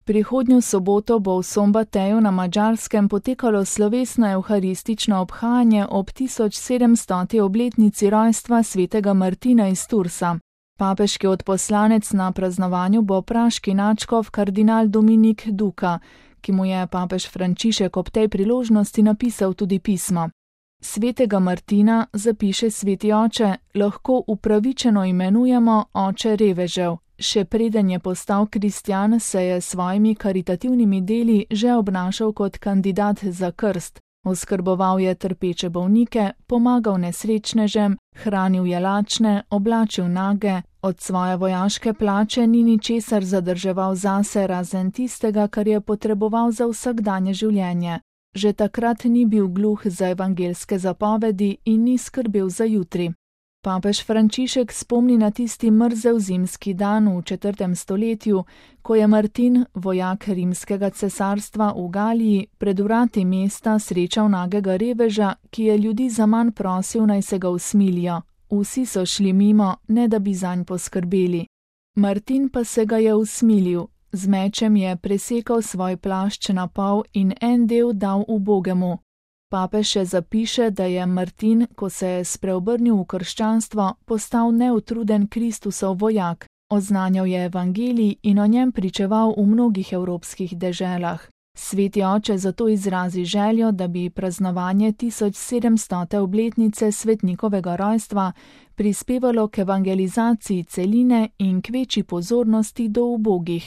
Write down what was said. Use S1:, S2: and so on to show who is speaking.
S1: Prihodnjo soboto bo v Szombateju na Madžarskem potekalo slovesno evharistično obhajanje ob 1700. obletnici rojstva svetega Martina iz Toursa. Papeški odposlanec na praznovanju bo praški nadškof kardinal Dominik Duka, ki mu je papež Frančišek ob tej priložnosti napisal tudi pismo. Svetega Martina, zapiše sveti oče, lahko upravičeno imenujemo oče revežev. Še preden je postal kristjan, se je s svojimi karitativnimi deli že obnašal kot kandidat za krst. Oskrboval je trpeče bolnike, pomagal nesrečnežem, hranil je lačne, oblačil nage, od svoje vojaške plače ni ničesar zadrževal zase razen tistega, kar je potreboval za vsakdanje življenje. Že takrat ni bil gluh za evangelske zapovedi in ni skrbel za jutri. Papež Frančišek spomni na tisti mrzel zimski dan v 4. stoletju, ko je Martin, vojak rimskega cesarstva v Galiji, pred vrati mesta srečal nagega reveža, ki je ljudi zaman prosil, naj se ga usmilijo. Vsi so šli mimo, ne da bi zanj poskrbeli. Martin pa se ga je usmilil. Z mečem je presekal svoj plašč na pol in en del dal ubogemu. Papež še zapiše, da je Martin, ko se je spreobrnil v krščanstvo, postal neutruden Kristusov vojak, oznanjal je evangelij in o njem pričeval v mnogih evropskih deželah. Sveti oče zato izrazi željo, da bi praznovanje 1700. obletnice svetnikovega rojstva prispevalo k evangelizaciji celine in k večji pozornosti do ubogih.